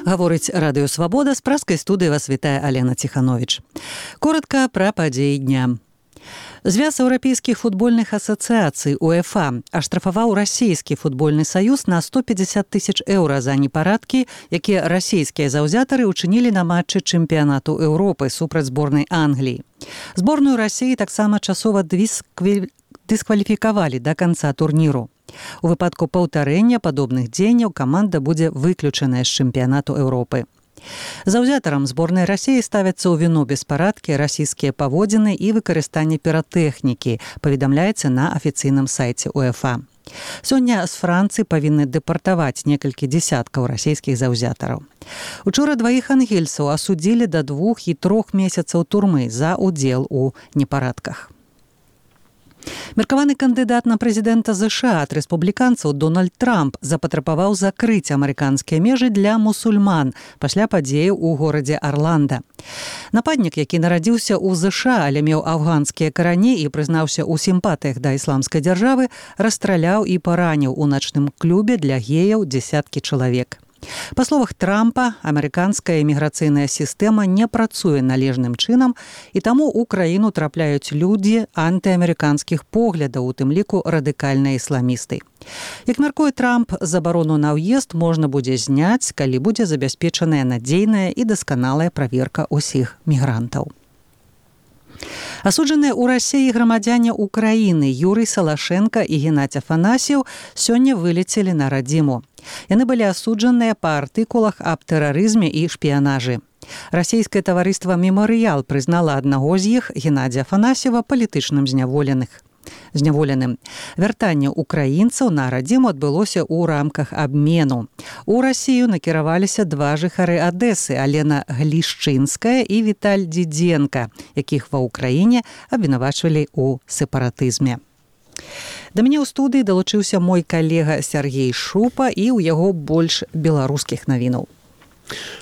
Гаворыць Радыё Свабода, з пражскай студыі вас вітае Алена Ціхановіч. Коротка пра падзеі дня. Звяз еўрапейскіх футбольных асацыяцый УЕФА аштрафаваў расійскі футбольны саюз на 150 тысяч еўра за непарадкі, якія расійскія заўзятары ўчынілі на матчы чэмпіянату Еўропы супраць зборнай Англіі. Зборную Расіі таксама часова дыскваліфікавалі да канца турніру. У выпадку паўтарэння падобных дзеянняў каманда будзе выключаная з чэмпіянату Еўропы. Заўзятарам зборнай Расіі ставяцца ў віну беспарадкі, расійскія паводзіны і выкарыстанне піратэхнікі, паведамляецца на афіцыйным сайце УЕФА. Сёння з Францыі павінны дэпартаваць некалькі дзесяткаў расійскіх заўзятараў. Учора дваіх ангельцаў асудзілі да 2 і 3 месяцаў турмы за ўдзел у непарадках. Меркаваны кандыдат на прэзідэнта США ад рэспубліканцаў Дональд Трамп запатрабаваў закрыць амерыканскія межы для мусульман пасля падзеяў у горадзе Арланда. Нападнік, які нарадзіўся ў ЗША, але меў афганскія карані і прызнаўся ў сімпатыях да ісламскай дзяржавы, расстраляў і параніў у начным клубе для геяў дзесяткі чалавек. Па словах Трампа, амерыканская іміграцыйная сістэма не працуе належным чынам, і таму ў краіну трапляюць людзі антыамерыканскіх поглядаў, у тым ліку радыкальныя ісламісты. Як мяркуе Трамп, забарону на ўезд можна будзе зняць, калі будзе забяспечаная надзейная і дасканалая праверка ўсіх мігрантаў. Асуджаныя ў Расіі грамадзяне Украіны Юрый Салашенко і Геннадзь Афанасьеў сёння вылецелі на радзіму. Яны былі асуджаныя па артыкулах аб тэрарызме і шпіянажы. Расійскае таварыства «Мемарыял» прызнала аднаго з іх, Геннадзя Афанасьева, палітычным зняволеным. Вяртанне украінцаў на радзіму адбылося ў рамках абмену. У Расію накіраваліся два жыхары Адэсы, Алена Глішчынская і Віталь Дзідзенка, якіх ва ўкраіне абвінавачвалі ў сепаратызме. Да мяне ў студыі далучыўся мой калега Сяргей Шупа, і ў яго больш беларускіх навінаў.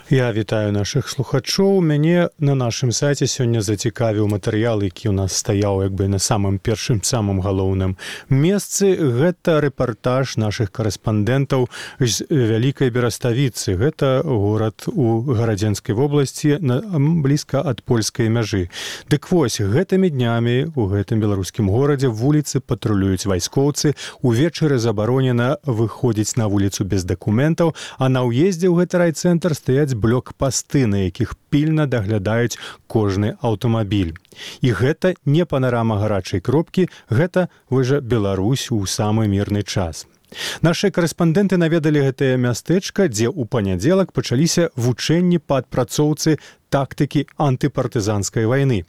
Я вітаю нашых слухачоў. Мяне на нашым сайце сёння зацікавіў матэрыял, які ў нас стаяў як бы на самым першым, самым галоўным месцы. Гэта рэпартаж нашых карэспандэнтаў з Вялікай Бераставіцы. Гэта горад у Гарадзенскай вобласці, блізка ад польскай мяжы. Дык вось, гэтымі днямі у гэтым беларускім горадзе вуліцы патрулююць вайскоўцы. Увечары забаронена выходзіць на вуліцу без дакументаў, а на ўездзе ў гэты райцэнтр стаяць блокпасты, на якіх пільна даглядаюць кожны аўтамабіль. І гэта не панарама гарачай кропкі, гэта выжа Беларусь у самы мірны час. Нашы карэспандэнты наведалі гэтае мястэчка, дзе ў панядзелак пачаліся вучэнні па адпрацоўцы тактыкі антыпартызанскай вайны.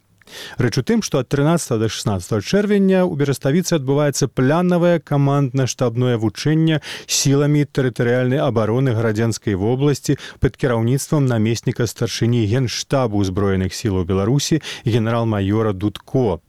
Рэч у тым, што ад 13 до 16 чэрвеня ў Бераставіцы адбываецца планавае камандна-штабное вучэнне сіламі тэрытарыяльнай абароны Гарадзенскай вобласці пад кіраўніцтвам намесніка старшыні Генштабу ўзброеных сілаў Беларусі генерал-маёра Дудко.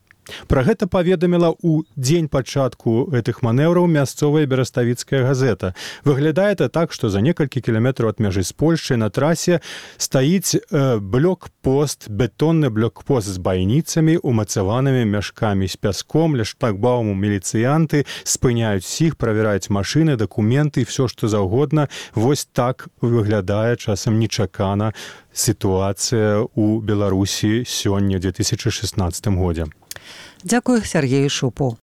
Пра гэта паведаміла ў дзень пачатку гэтых манеўраў мясцовая бераставіцкая газета. Выглядае это так, што за некалькі кіламетраў ад мяжы з Польшчай на трасе стаіць блокпост, бетонны блокпост з байніцамі, умацаванымі мяшкамі з пяском. Ля шлагбауму міліцыянты спыняюць усіх, правяраюць машыны, дакументы, всё што заўгодна. Вось так выглядае часам нечакана сітуацыя ў Беларусі сёння, 2016 годзе. Дзякую Сяргею Шупу.